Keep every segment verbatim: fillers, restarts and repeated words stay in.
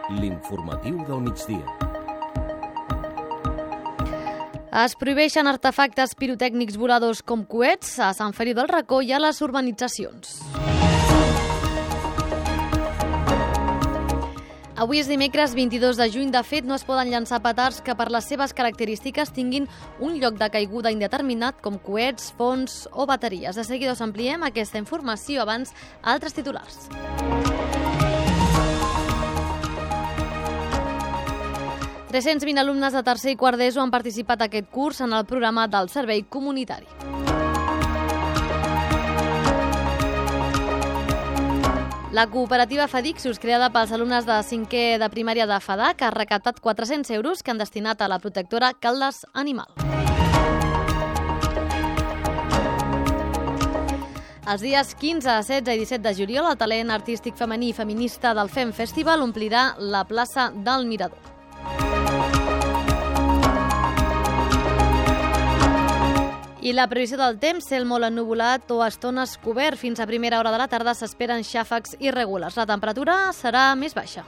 L'informatiu del migdia. Es prohibeixen artefactes pirotècnics voladors com coets a Sant Feliu del Racó i a les urbanitzacions. Avui és dimecres vint-i-dos de juny. De fet, no es poden llançar petards que per les seves característiques tinguin un lloc de caiguda indeterminat com coets, fonts o bateries. De seguida us ampliem aquesta informació. Abans, altres titulars. tres-cents vint alumnes de tercer i quart d'ESO han participat aquest curs en el programa del servei comunitari. La cooperativa Fadixos, creada pels alumnes de cinquè de primària de FADAC, ha recaptat quatre-cents euros que han destinat a la protectora Caldes Animal. Els dies quinze, setze i disset de juliol, el talent artístic femení i feminista del Fem Festival omplirà la plaça del Mirador. I la previsió del temps, cel molt ennuvolat o estones cobert. Fins a primera hora de la tarda s'esperen xàfecs irregulars. La temperatura serà més baixa.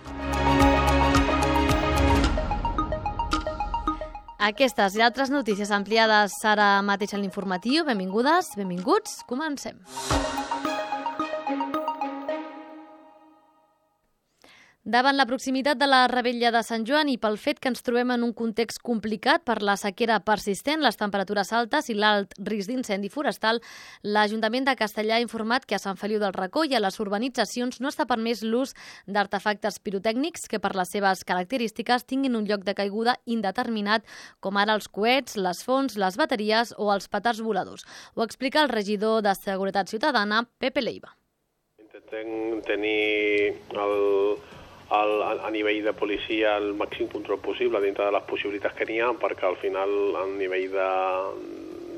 Aquestes i altres notícies ampliades ara mateix en l'informatiu. Benvingudes, benvinguts, comencem. Davant la proximitat de la Revetlla de Sant Joan i pel fet que ens trobem en un context complicat per la sequera persistent, les temperatures altes i l'alt risc d'incendi forestal, l'Ajuntament de Castellar ha informat que a Sant Feliu del Racó i a les urbanitzacions no està permès l'ús d'artefactes pirotècnics que per les seves característiques tinguin un lloc de caiguda indeterminat, com ara els coets, les fonts, les bateries o els petards voladors. Ho explica el regidor de Seguretat Ciutadana, Pepe Leiva. Intentem tenir el... El, a nivell de policia el màxim control possible dintre de les possibilitats que n'hi ha, perquè al final a nivell de,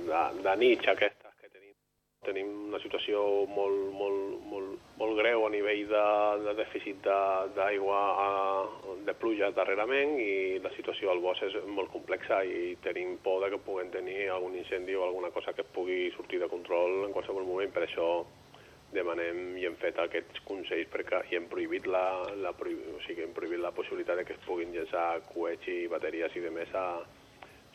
de, de nits aquestes que tenim, tenim una situació molt, molt, molt, molt greu a nivell de, de dèficit d'aigua, de pluja darrerament, i la situació al bosc és molt complexa i tenim por de que puguem tenir algun incendi o alguna cosa que pugui sortir de control en qualsevol moment. Per això demanem i hem fet aquests consells perquè i hem prohibit la, la, o sigui, hem prohibit la possibilitat de que es puguin llançar coets i bateries i de més a,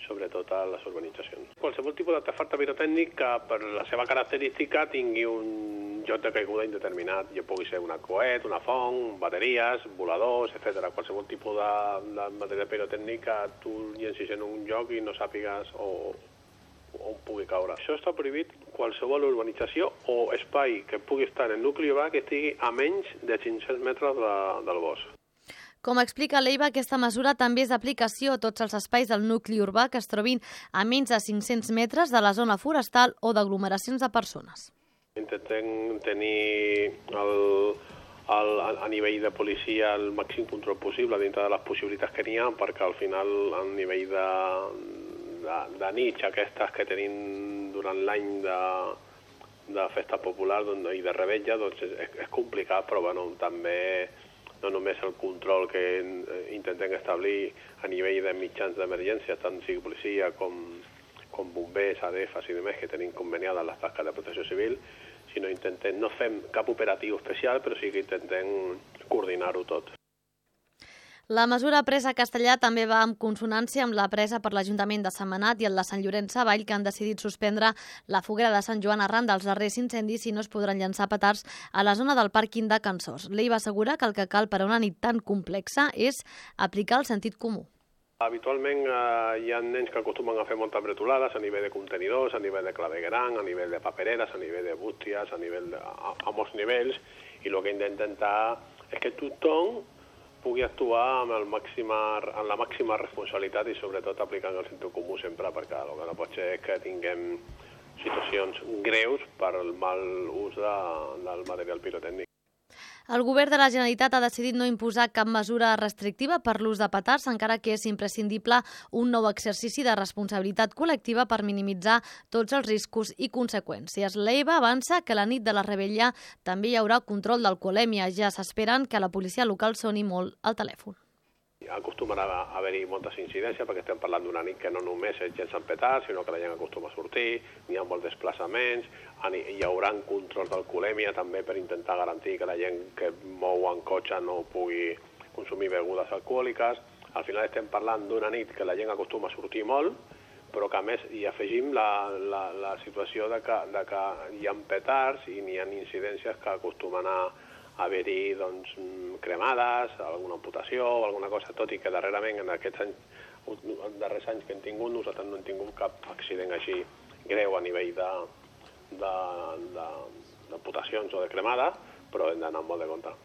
sobretot a les urbanitzacions. Qualsevol tipus d'artefacte pirotècnic que per la seva característica tingui un lloc de caiguda indeterminat, ja pugui ser una coet, una font, bateries, voladors, etcètera. Qualsevol tipus de, de material pirotècnic que tu llencis en un lloc i no sàpigues o on pugui caure. Això està prohibit qualsevol urbanització o espai que pugui estar en el nucli urbà que estigui a menys de cinc-cents metres de, del bosc. Com explica Leiva, aquesta mesura també és d'aplicació a tots els espais del nucli urbà que es trobin a menys de cinc-cents metres de la zona forestal o d'aglomeracions de persones. Intentem tenir el, el, a nivell de policia el màxim control possible dintre de les possibilitats que n'hi ha, perquè al final a nivell de De, de nits aquestes que tenim durant l'any de, de festa popular doncs, i de revetlla, doncs és, és complicat, però bueno, també no només el control que intentem establir a nivell de mitjans d'emergència, tant sigui policia com, com bombers, A D Fs i demés, que tenim conveniades les tasques de protecció civil, sinó intentem, no fem cap operatiu especial, però sí que intentem coordinar-ho tot. La mesura presa a Castellar també va en consonància amb la presa per l'Ajuntament de Sentmenat i el de Sant Llorenç Savall, que han decidit suspendre la foguera de Sant Joan arran dels darrers incendis i no es podran llançar petards a la zona del pàrquing de Can Sos. Leiva assegura que el que cal per a una nit tan complexa és aplicar el sentit comú. Habitualment eh, hi ha nens que acostumen a fer moltes bretolades a nivell de contenidors, a nivell de clavegueram, a nivell de papereres, a nivell de bústies, a, nivell de, a, a molts nivells, i el que hem d'intentar és que tothom pugui actuar amb, el màxima, amb la màxima responsabilitat i sobretot aplicant el sentit comú sempre, perquè el que no pot ser és que tinguem situacions greus per el mal ús de, del material pirotècnic. El govern de la Generalitat ha decidit no imposar cap mesura restrictiva per l'ús de petards, encara que és imprescindible un nou exercici de responsabilitat col·lectiva per minimitzar tots els riscos i conseqüències. Leiva avança que la nit de la Revetlla també hi haurà control d'alcoholèmia. Ja s'esperen que la policia local soni molt al telèfon. Acostumarà a haver-hi moltes incidències perquè estem parlant d'una nit que no només és gent Sant Petar, sinó que la gent acostuma a sortir, n'hi ha molts desplaçaments, hi haurà control d'alcoholèmia també per intentar garantir que la gent que mou en cotxe no pugui consumir begudes alcohòliques. Al final estem parlant d'una nit que la gent acostuma a sortir molt, però que a més hi afegim la, la, la situació de que, de que hi ha petards i n'hi ha incidències que acostumen a haver-hi doncs, cremades, alguna amputació o alguna cosa, tot i que darrerament en aquests anys, en darrers anys que hem tingut, nosaltres no hem tingut cap accident així greu a nivell de, de, de, d'amputacions o de cremades, però hem d'anar molt de compte.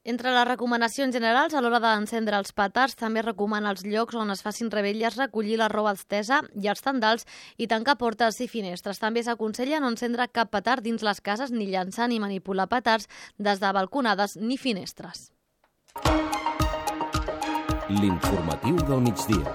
Entre les recomanacions generals, a l'hora d'encendre els petards, també recomana els llocs on es facin revetlles recollir la roba estesa i els tendals i tancar portes i finestres. També s'aconsella no encendre cap petard dins les cases ni llançar ni manipular petards des de balconades ni finestres. L'informatiu del migdia.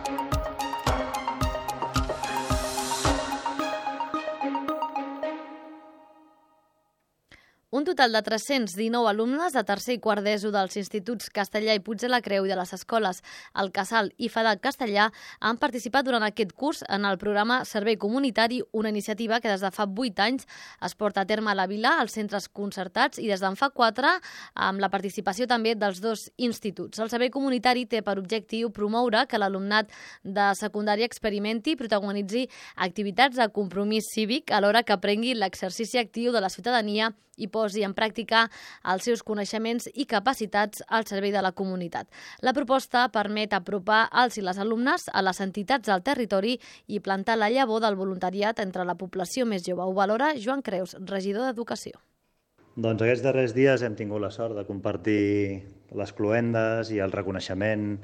Un total de tres-cents dinou alumnes de tercer i quart d'ESO dels instituts Castellà i Puig de la Creu i de les escoles El Casal i FEDAC Castellà han participat durant aquest curs en el programa Servei Comunitari, una iniciativa que des de fa vuit anys es porta a terme a la vila, als centres concertats i des d'en fa quatre amb la participació també dels dos instituts. El Servei Comunitari té per objectiu promoure que l'alumnat de secundària experimenti i protagonitzi activitats de compromís cívic alhora que aprengui l'exercici actiu de la ciutadania i posi en pràctica els seus coneixements i capacitats al servei de la comunitat. La proposta permet apropar els i les alumnes a les entitats del territori i plantar la llavor del voluntariat entre la població més jove. Ho valora Joan Creus, regidor d'Educació. Doncs aquests darrers dies hem tingut la sort de compartir les cloendes i el reconeixement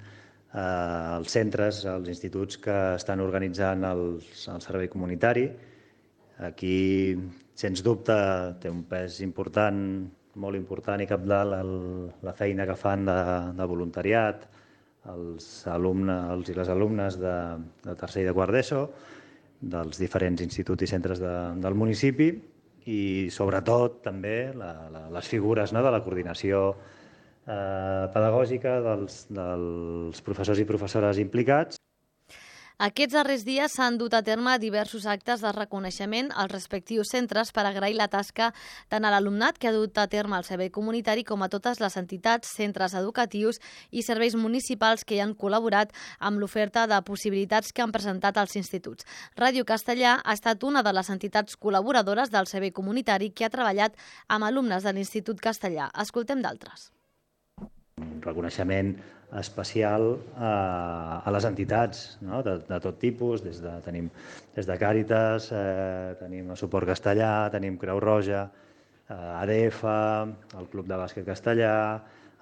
als centres, als instituts que estan organitzant el, el servei comunitari. Aquí, sens dubte, té un pes important, molt important i cabdal el, la feina que fan de, de voluntariat, els alumnes els i les alumnes de, de tercer i de quart d'ESO, dels diferents instituts i centres de, del municipi i, sobretot, també la, la, les figures, no?, de la coordinació eh, pedagògica dels, dels professors i professores implicats. Aquests darrers dies s'han dut a terme diversos actes de reconeixement als respectius centres per agrair la tasca tant a l'alumnat que ha dut a terme el servei comunitari com a totes les entitats, centres educatius i serveis municipals que hi han col·laborat amb l'oferta de possibilitats que han presentat als instituts. Ràdio Castellà ha estat una de les entitats col·laboradores del servei comunitari que ha treballat amb alumnes de l'Institut Castellà. Escoltem d'altres. Un reconeixement especial a, a les entitats, no?, de, de tot tipus, des de, tenim des de Càritas, eh, tenim el Suport Castellà, tenim Creu Roja, eh, A D F, el Club de Bàsquet Castellà,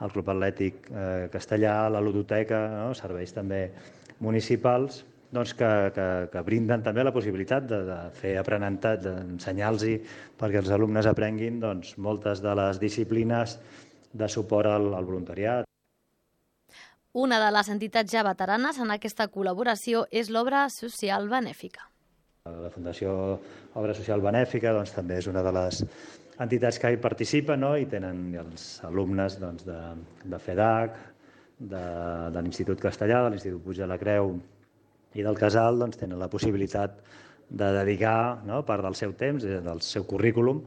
el Club Atlètic eh, Castellà, la Ludoteca, no?, serveis també municipals, doncs que, que, que brinden també la possibilitat de, de fer aprenentatge, d'ensenyar-los perquè els alumnes aprenguin doncs, moltes de les disciplines de suport al, al voluntariat. Una de les entitats ja veteranes en aquesta col·laboració és l'Obra Social Benèfica. La Fundació Obra Social Benèfica doncs, també és una de les entitats que hi participen, no?, i tenen els alumnes doncs, de, de FEDAC, de, de l'Institut Castellà, de l'Institut Puig de la Creu i del Casal, doncs, tenen la possibilitat de dedicar, no?, part del seu temps, del seu currículum,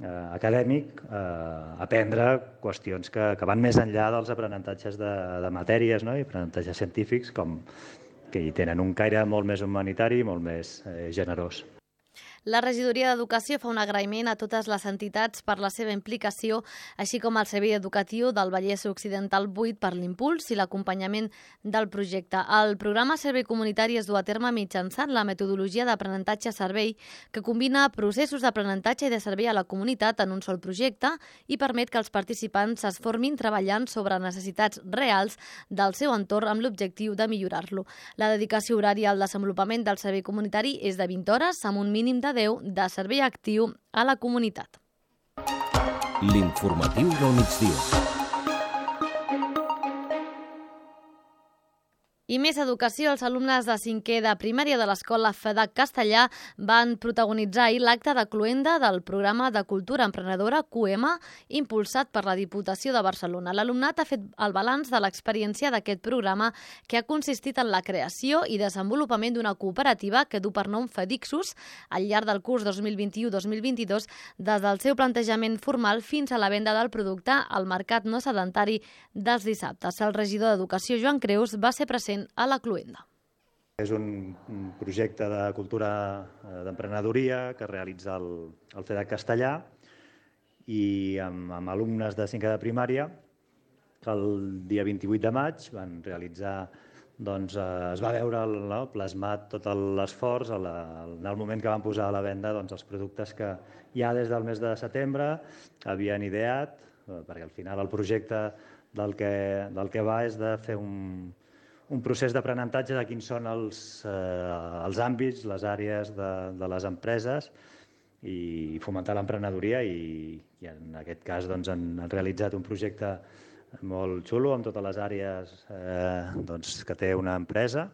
Eh, acadèmic, eh, aprendre qüestions que, que van més enllà dels aprenentatges de, de matèries, no?, i aprenentatges científics com que hi tenen un caire molt més humanitari i molt més eh, generós. La regidoria d'Educació fa un agraïment a totes les entitats per la seva implicació, així com al Servei Educatiu del Vallès Occidental vuit per l'impuls i l'acompanyament del projecte. El programa Servei Comunitari es du a terme mitjançant la metodologia d'aprenentatge-servei que combina processos d'aprenentatge i de servei a la comunitat en un sol projecte i permet que els participants es formin treballant sobre necessitats reals del seu entorn amb l'objectiu de millorar-lo. La dedicació horària al desenvolupament del servei comunitari és de vint hores amb un mínim de deu de servei actiu a la comunitat. L'informatiu del migdia. I més educació. Els alumnes de cinquè de primària de l'escola FEDAC Castellà van protagonitzar ahir l'acte de cloenda del programa de cultura emprenedora Q M, impulsat per la Diputació de Barcelona. L'alumnat ha fet el balanç de l'experiència d'aquest programa, que ha consistit en la creació i desenvolupament d'una cooperativa que du per nom Fedixus al llarg del curs dos mil vint-i-u dos mil vint-i-dos, des del seu plantejament formal fins a la venda del producte al mercat no sedentari dels dissabtes. El regidor d'Educació, Joan Creus, va ser present a la cloenda. És un projecte de cultura d'emprenedoria que realitza el, el FEDAC Castellà i amb, amb alumnes de cinquè de primària que el dia vint-i-vuit de maig van realitzar, doncs es va veure no, plasmat tot l'esforç en el moment que van posar a la venda doncs, els productes que ja des del mes de setembre havien ideat, perquè al final el projecte del que, del que va és de fer un un procés d'aprenentatge de quins són els, eh, els àmbits, les àrees de, de les empreses i fomentar l'emprenedoria i, i en aquest cas doncs, han, han realitzat un projecte molt xulo amb totes les àrees eh, doncs, que té una empresa.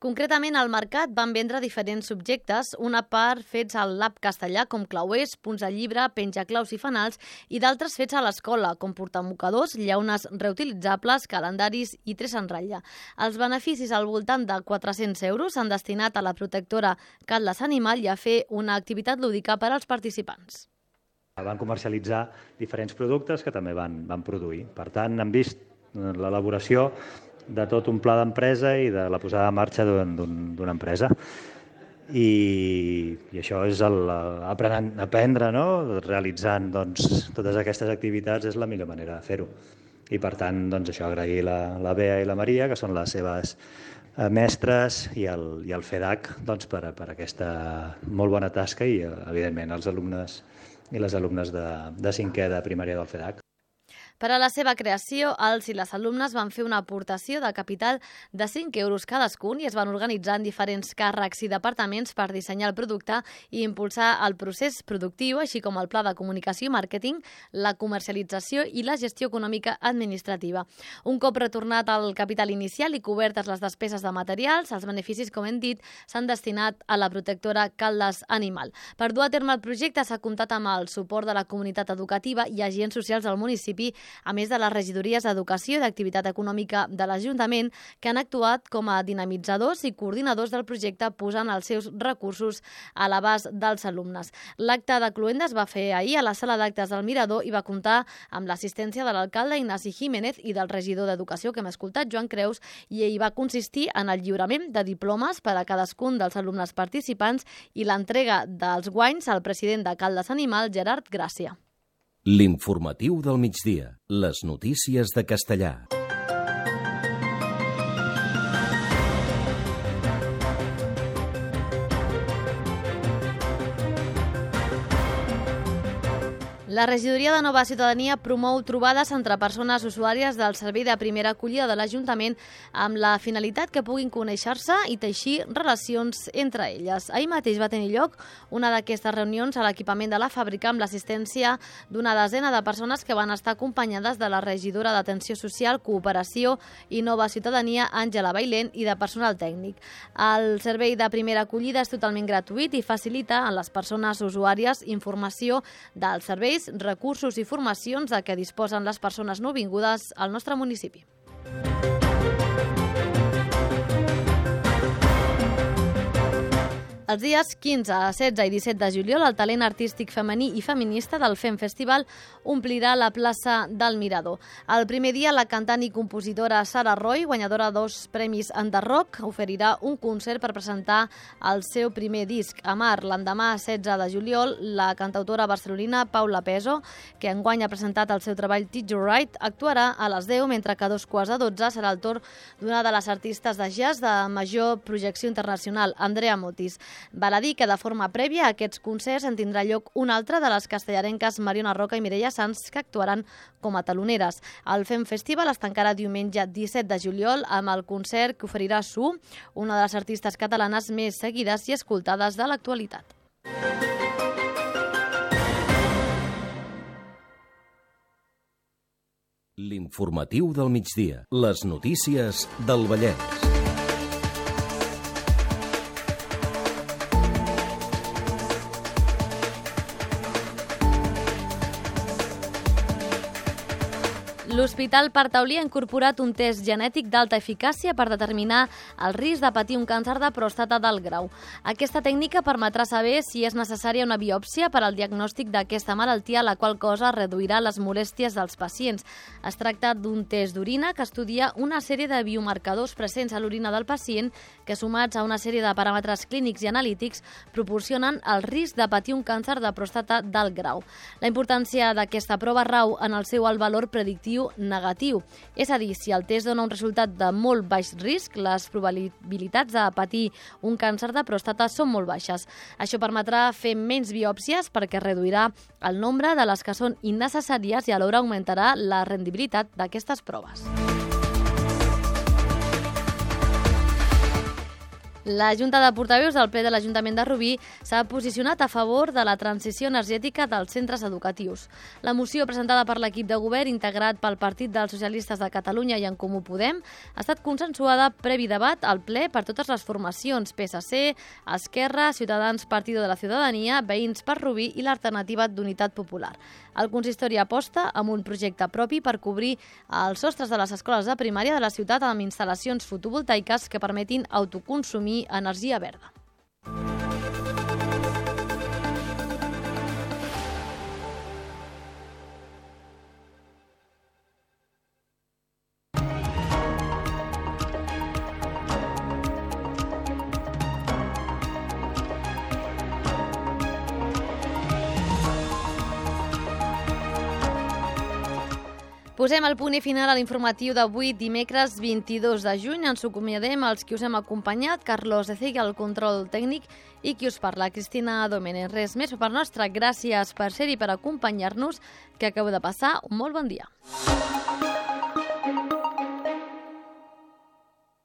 Concretament, al mercat van vendre diferents subjectes, una part fets al Lab Castellà, com clauers, punts de llibre, penjaclaus i fanals, i d'altres fets a l'escola, com portamocadors, llaunes reutilitzables, calendaris i tres en ratlla. Els beneficis al voltant de quatre-cents euros s'han destinat a la protectora Caldes Animal i a fer una activitat lúdica per als participants. Van comercialitzar diferents productes que també van, van produir. Per tant, han vist l'elaboració de tot un pla d'empresa i de la posada en marxa d'una empresa. I, i això és el, aprenent, aprendre, no? Realitzant doncs, totes aquestes activitats és la millor manera de fer-ho. I per tant, doncs, això, agrair la, la Bea i la Maria, que són les seves mestres, i el, i el FEDAC doncs, per, per aquesta molt bona tasca i, evidentment, els alumnes i les alumnes de, de cinquè de primària del FEDAC. Per a la seva creació, els i les alumnes van fer una aportació de capital de cinc euros cadascun i es van organitzar en diferents càrrecs i departaments per dissenyar el producte i impulsar el procés productiu, així com el pla de comunicació i màrqueting, la comercialització i la gestió econòmica administrativa. Un cop retornat al capital inicial i cobertes les despeses de materials, els beneficis, com hem dit, s'han destinat a la protectora Caldes Animal. Per dur a terme el projecte s'ha comptat amb el suport de la comunitat educativa i agents socials del municipi, a més de les regidories d'Educació i d'Activitat Econòmica de l'Ajuntament, que han actuat com a dinamitzadors i coordinadors del projecte, posant els seus recursos a l'abast dels alumnes. L'acte de cloenda es va fer ahir a la sala d'actes del Mirador i va comptar amb l'assistència de l'alcalde Ignasi Jiménez i del regidor d'Educació, que hem escoltat, Joan Creus, i ell va consistir en el lliurament de diplomes per a cadascun dels alumnes participants i l'entrega dels guanys al president de Caldes Animal, Gerard Gràcia. L'informatiu del migdia. Les notícies de Castellà. La regidoria de Nova Ciutadania promou trobades entre persones usuàries del servei de primera acollida de l'Ajuntament amb la finalitat que puguin conèixer-se i teixir relacions entre elles. Ahir mateix va tenir lloc una d'aquestes reunions a l'equipament de la fàbrica amb l'assistència d'una desena de persones que van estar acompanyades de la regidora d'Atenció Social, Cooperació i Nova Ciutadania, Àngela Bailén, i de personal tècnic. El servei de primera acollida és totalment gratuït i facilita a les persones usuàries informació dels serveis, recursos i formacions de què disposen les persones nouvingudes al nostre municipi. Els dies quinze, setze i disset de juliol, el talent artístic femení i feminista del Fem Festival omplirà la plaça del Mirador. El primer dia, la cantant i compositora Sara Roy, guanyadora de dos premis Enderrock, oferirà un concert per presentar el seu primer disc, Amar. L'endemà, setze de juliol, la cantautora barcelonina Paula Peso, que enguany ha presentat el seu treball Teach You Right, actuarà a les deu, mentre que a dos quarts de dotze serà el torn d'una de les artistes de jazz de major projecció internacional, Andrea Motis. Val a dir que de forma prèvia a aquests concerts en tindrà lloc un altre de les castellarenques Mariona Roca i Mireia Sanz, que actuaran com a taloneres. El Fem Festival es tancarà diumenge disset de juliol amb el concert que oferirà Su, una de les artistes catalanes més seguides i escoltades de l'actualitat. L'informatiu del migdia. Les notícies del Vallès. L'Hospital Partaulí ha incorporat un test genètic d'alta eficàcia per determinar el risc de patir un càncer de pròstata d'alt grau. Aquesta tècnica permetrà saber si és necessària una biòpsia per al diagnòstic d'aquesta malaltia, la qual cosa reduirà les molèsties dels pacients. Es tracta d'un test d'orina que estudia una sèrie de biomarcadors presents a l'orina del pacient que, sumats a una sèrie de paràmetres clínics i analítics, proporcionen el risc de patir un càncer de pròstata d'alt grau. La importància d'aquesta prova rau en el seu alt valor predictiu negatiu. És a dir, si el test dona un resultat de molt baix risc, les probabilitats de patir un càncer de pròstata són molt baixes. Això permetrà fer menys biòpsies perquè reduirà el nombre de les que són innecessàries i alhora augmentarà la rendibilitat d'aquestes proves. La Junta de Portaveus del ple de l'Ajuntament de Rubí s'ha posicionat a favor de la transició energètica dels centres educatius. La moció presentada per l'equip de govern integrat pel Partit dels Socialistes de Catalunya i En Comú Podem ha estat consensuada previ debat al ple per totes les formacions P S C, Esquerra, Ciutadans Partido de la Ciutadania, Veïns per Rubí i l'Alternativa d'Unitat Popular. El consistori aposta amb un projecte propi per cobrir els sostres de les escoles de primària de la ciutat amb instal·lacions fotovoltaiques que permetin autoconsumir energia verda. Posem el punt i final a l'informatiu d'avui, dimecres vint-i-dos de juny. Ens acomiadem els qui us hem acompanyat, Carlos Ecegui, al control tècnic, i qui us parla, Cristina Domènech. Res més per part nostra. Gràcies per ser-hi, per acompanyar-nos, que acabeu de passar un molt bon dia.